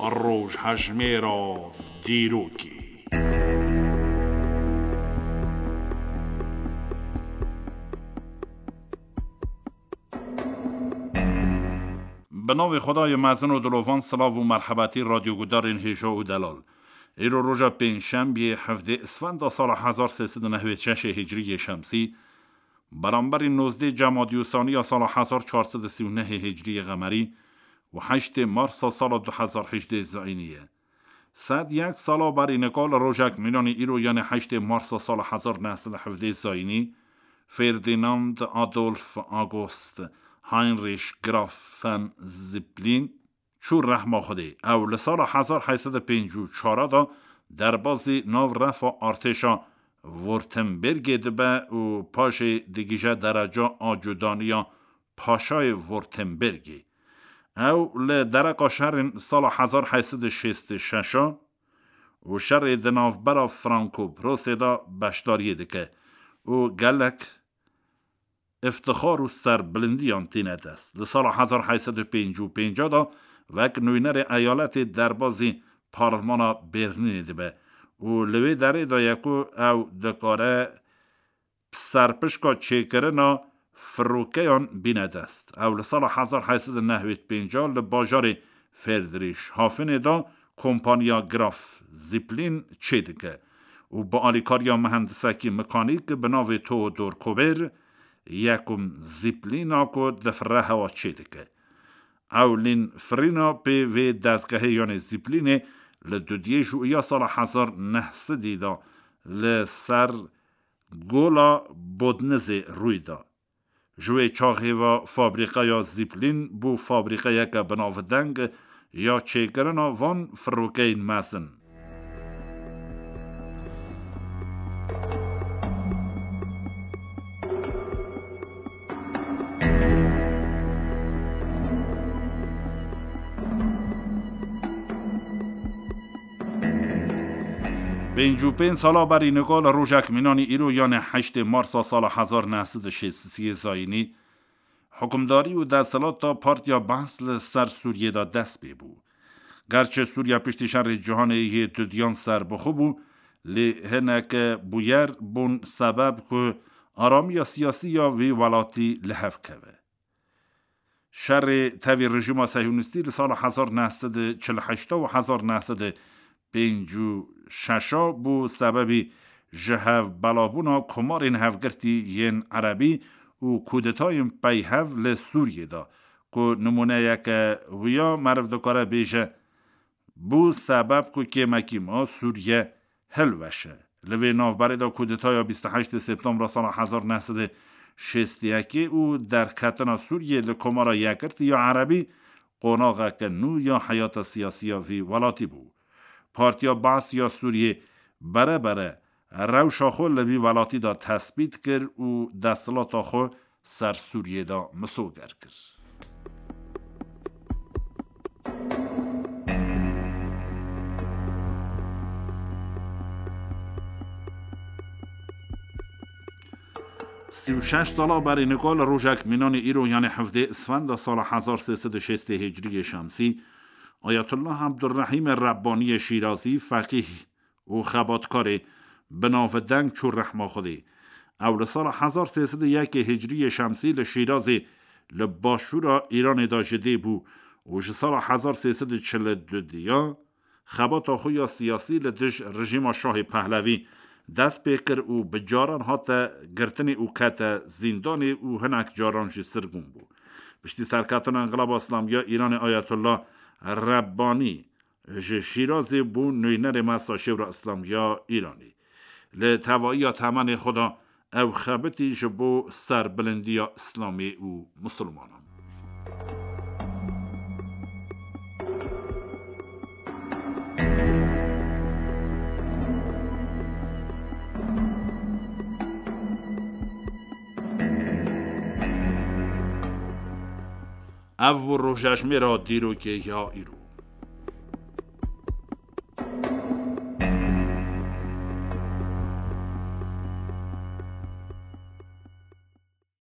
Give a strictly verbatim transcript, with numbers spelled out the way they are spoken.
Rojhejmêra dîrokê. Bi navê Xwedayê mezin û dilovan, silav û merhebetî radyogudarên hêja û delal. Îro roja pêncşembiyê, hevdê Isfenda sala hezar sê sed û nehwêd şeşê hicriyê şemsî, beramberî nozdê Cemadî û Saniya sala hezar çar sed û sî û nehê hicriyê qemerî û heştê Marsa sala du hezar hejdê zayînî ye. Sed yek sala berî nika li rojek mînanî îro, yanê heştê Marsa sala hezar neh sed û hevdê zayînî, Ferdinand Adolf August Heinrich Graf von Zeppelin çû rehma Xwedê. Ew li sala hezar heyt sed û pêncî û çar de derbazî nav refa artêşa Württembergê dibe û paşê digihîje dereca acûdaniya paşayê Württembergê. Ew li dereqa şerên sala hezar heyt sed û şêst û şeş û şerê di navbera Franko-Prusê de beşdariyê dike û gelek îftixar û serbilindiyan tîne dest. Di sala hezar heyt sed û pêncî û pênc de wek nûnerê eyaletê derbazî parlmana Berlînê dibe û li wê derê de ye ku ew dikare serpişka çêkirina firokeyan bîne dest. Ew li sala hezar heyt sed û nehwêd pênc li bajarê Friedrichshafenê de kompaniya Graf Zeppelin çêdike û bi alîkariya mihendisekî mekanîk bi navê Theodor Kober, yekum Zeppelina ku difire hewa, çêdike. Ew lînfirîna pê vê dezgehê yanê Zeppelînê li dudiyê Jûiya sala hezar neh sedî de li ser Gola Bodnizê rûy da. Ji wê çaxê ve fabrîqeya Zeppelin bû fabrîqeyeke binavdeng ya çêkirina van firokeyên mezin. Pêncî û pênc sala berî nika li rojek mînanî îro, yanê heştê Marsa sala hezar neh sed û şêst û sê zayînî, hukimdarî û desthilata Partiya Baas li ser Sûriyê de dest pê bû. Gerçi Sûriye piştî şerê cîhanê yê dudiyan serbixwe bû, lê hinek bûyer bûn sebeb ku aramiya siyasî ya vî welatî li hev keve. Şerê tevî rejîma sehyonîstî li sala hezar neh sed û çil heşt û hezar neh sed û pêncî û şeş bû sebebî ji hev belabûna komarên hevgirtî yên erebî û kûdetayên peyhev li Sûriyê de, ku nimûneyeke wiya meriv dikare bêje, bû sebeb ku kêmekî ma Sûriye hilweşe. Li vê navberê de kûdetaya bîst û heştê Septembra sala hezar neh sed û şêst û yekê û derketina Sûriyê li Komara Yekgirtî ya Erebî qonaxeke nû ya heyata siyasî ya vî welatî bû. Partiya Baas ya Sûriyê bere bere rewşa xwe li vî welatî de tesbît kir û desthilata xwe ser Sûriyê de misoger kir. Sî û şeş sala berî nika li rojek mînanî îro, yanê hevdê Isfenda sala hezar sê sed û şêst hicriyê şemsî, Ayetullah Abdurrahîmê Rebbaniyê Şîrazî, feqîh û xebatkarê binavdeng çû rehma Xwedê. Ew li sala hezar sê sed û yekê hicriyê şemsî li Şîrazê li başûra Îranê de ji dê bû û ji sala hezar sê sed û çil û du diya xebata xwe ya siyasî li dij rejîma Şahê Pehlevî dest pê kir û bi caran hate girtinê û kete zîndanê û hinek caran jî sirgûn bû. Piştî serketina Înqilaba Îslamî ya Îranê Ayetullah Rebbanî ji Şîrazê bû nûnerê mesa Şêwra Îslamî ya Îranê. Li tevahiya temenê xwe de ew xebitî ji bo serbilindiya Îslamê û misilmanan. Ev bû rojejmêra dîrokê ya îro.